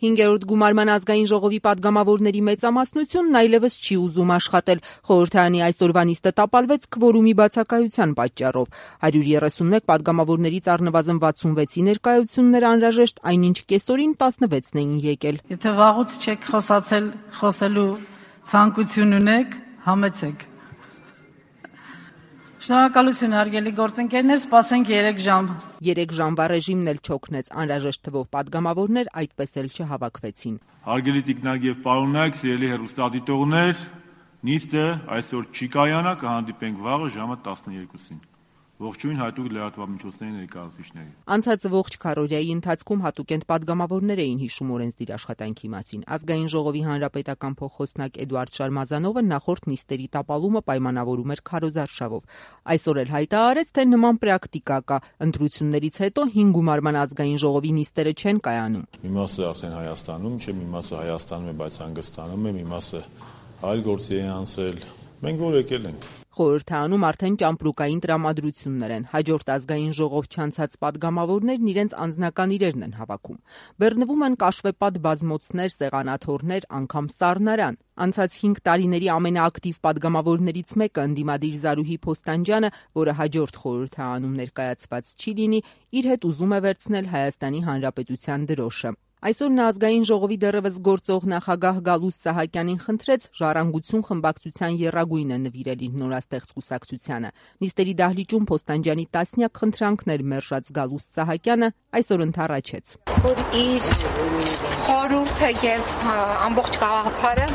5-րդ գումարման ազգային ժողովի պատգամավորների մեծամասնությունն այլևս չի ուզում աշխատել։ Խորհրդարանի այսօրվա նիստը տապալվեց քվորումի բացակայության պատճառով։ 131 պատգամավորներից առնվազն 66-ի ներկայությունն էր անհրաժեշտ, այնինչ կեսօրին 16-ն էին եկել։ Եթե վաղուց չեք խոսացել, խոսելու ցանկություն ունեք, համեցեք։ Շնորհակալություն հարգելի գործընկերներ, սպասենք 3 ժամ։ 3 ժամվա ռեժիմն էլ չօգնեց, անհրաժեշտ թվով պատգամավորներ այդպես էլ չհավաքվեցին։ Հարգելի տիկնակ եւ պարոննակ, սիրելի հեռուստադիտողներ, նիստը այսօր չի կայանա, կհանդիպենք վաղը ժամը 12-ին։ Ողջույն հատուկ լրատվամիջոցների ներկայացուցիչներին։ Անցած ողջ քառօրյայի ընթացքում հատուկենտ պատգամավորներ էին հիշում օրենսդիր աշխատանքի մասին։ Ազգային ժողովի հանրապետական փոխխոսնակ Էդուարդ Շարմազանովը նախորդ նիստերի տապալումը պայմանավորում էր քարոզարշավով։ Այսօր էլ հայտարարեց, թե նման պրակտիկա կա։ Ընտրություններից հետո 5 գումարման ազգային ժողովի նիստերը չեն կայանում։ Մի մասը արդեն Հայաստանում չէ, մի մասը Հայաստանում է, բայց հանգստանում է, մի մասը այլ գործի է անցել։ Մենք որ եկել ենք։ Խորհրդարանում արդեն ճամպրուկային տրամադրություններ են։ Հաջորդ ազգային ժողով չանցած պատգամավորներն իրենց անձնական իրերն են հավաքում։ Բեռնվում են կաշվեպատ բազմոցներ, սեղանաթոռներ, անգամ սառնարան։ Անցած 5 տարիների ամենաակտիվ պատգամավորներից մեկը ընդդիմադիր Զարուհի Փոստանջյանը, որը հաջորդ խորհրդարանում ներկայացված չի լինի, իր հետ ուզում է վերցնել Հայաստանի Հանրապետության դրոշը։ Այսօր նա ազգային ժողովի դեռևս գործող նախագահ Գալուստ Սահակյանին խնդրեց ժառանգություն խմբակցության եռագույնը նվիրել իր նորաստեղծ կուսակցությանը։ Նիստերի դահլիճում Փոստանջյանի տասնյակ խնդրանքներ մերժած Գալուստ Սահակյանը այսօր ընդառաջեց։ Որ իր խորհուրդը եւ ամբողջ գաղափարը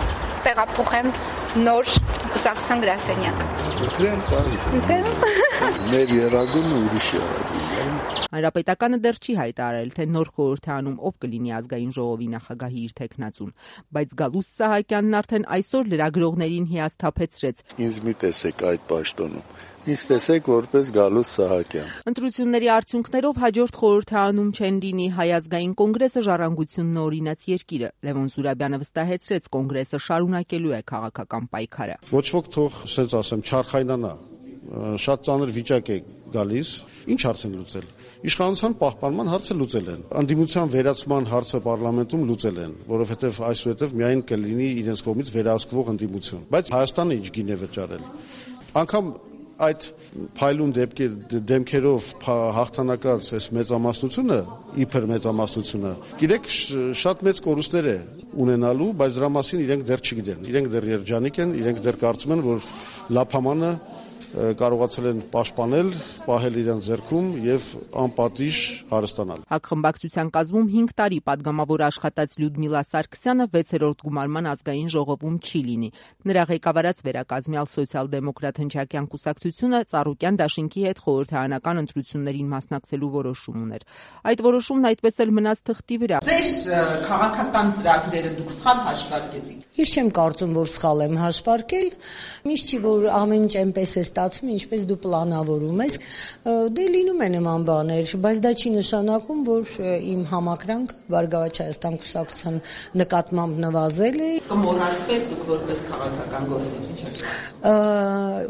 տեղափոխեմ նոր կուսակցության գրասենյակ։ Մեր եռագույնը ուրիշ եռագույն։ Հանրապետականը դեռ չի հայտարարել, թե նոր խորհրդարանում ով կլինի ազգային ժողովի նախագահի իր թեկնածուն, բայց Գալուստ Սահակյանն արդեն այսօր լրագրողներին հիասթափեցրեց։ Ինձ մի տեսեք այդ պաշտոնում։ Ինձ տեսեք որպես Գալուստ Սահակյան։ Ընտրությունների արդյունքներով հաջորդ խորհրդարանում չեն լինի Հայ ազգային կոնգրեսը, ժառանգությունն օրինաց երկիրը։ Լևոն Զուրաբյանը վստահեցրեց, կոնգրեսը շարունակելու է քաղաքական պայքարը։ Ոչ ոք թող, ասենց ասեմ, չարխայնանա։ Շատ ծանր վիճակ է գալիս։ Ինչ հարց են լուծել։ Իշխանության պահպանման հարցը լուծել են։ Անդիմության վերացման հարցը պարլամենտում լուծել են, որովհետև այսուհետև միայն կլինի իրենց կողմից վերահսկվող ընդդիմություն։ Բայց Հայաստանը ինչ գին է վճարել։ Անկամ այդ փայլուն դեմքերով հաղթանակած այս մեծամասնությունը, իբր մեծամասնությունը, գիտեք, շատ մեծ կորուստներ է ունենալու, բայց դրա մասին իրենք դեռ չգիտեն։ Իրենք դեռ երջանիկ են, իրենք դեռ կարծում են, որ լափամանը կարողացել են պաշտպանել, պահել իրենց ձեռքում եւ անպատիժ հարստանալ։ Հակխմբակցության կազմում 5 տարի պատգամավոր աշխատած Լյուդմիլա Սարգսյանը 6-րդ գումարման ազգային ժողովում չի լինի։ Նրա ղեկավարած վերակազմյալ սոցիալ-դեմոկրատ հնչակյան կուսակցությունը Ծառուկյան դաշինքի հետ խորհրդարանական ընտրություններին մասնակցելու որոշում ուներ։ Այդ որոշումն այդպես էլ մնաց թղթի վրա։ Ձեր քաղաքական ծրագրերը դուք սխալ հաշվարկեցիք։ Ես չեմ կարծում, որ սխալ եմ հաշվարկել։ Միշտ չի որ ամեն ինչ այնպես է ստացվում, ինչպես դու պլանավորում ես։ Դե լինում է նման բաներ, բայց դա չի նշանակում, որ իմ համակրանքը Բարգավաճ Հայաստան կուսակցության նկատմամբ նվազել է։ Կմոռացվեք դուք որպես քաղաքական գործիչ, ինչ։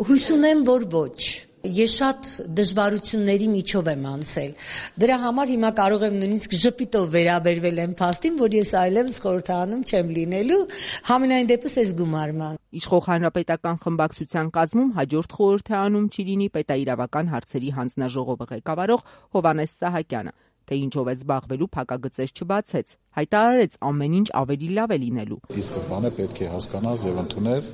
Հույս ունեմ, որ ոչ։ Ես շատ դժվարությունների միջով եմ անցել։ Դրա համար հիմա կարող եմ նույնիսկ ժպիտով վերաբերվել եմ փաստին, որ ես այլևս խորհրդարանում չեմ լինելու, համենայն դեպս այս գումարման։ Իշխող հանրապետական խմբակցության կազմում հաջորդ խորհրդարանում չի լինի պետաիրավական հարցերի հանձնաժողովը ղեկավարող Հովհաննես Սահակյանը, թե ինչով է զբաղվելու փակագծեր չբացեց, հայտարարեց ամեն ինչ ավելի լավ է լինելու։ Ի սկզբանե պետք է հասկանաս եւ ընդունես,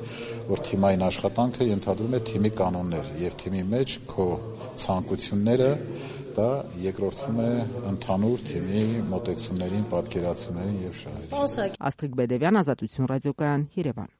որ թիմային աշխատանքը ենթադրում է թիմի կանոններ եւ թիմի մեջ քո ցանկությունները դա երկրորդում է ընդհանուր թիմի մոտեցումներին, պատկերացումներին եւ շահերին։ Աստղիկ Բեդևյան, Ազատություն ռադիոկայան, Երևան։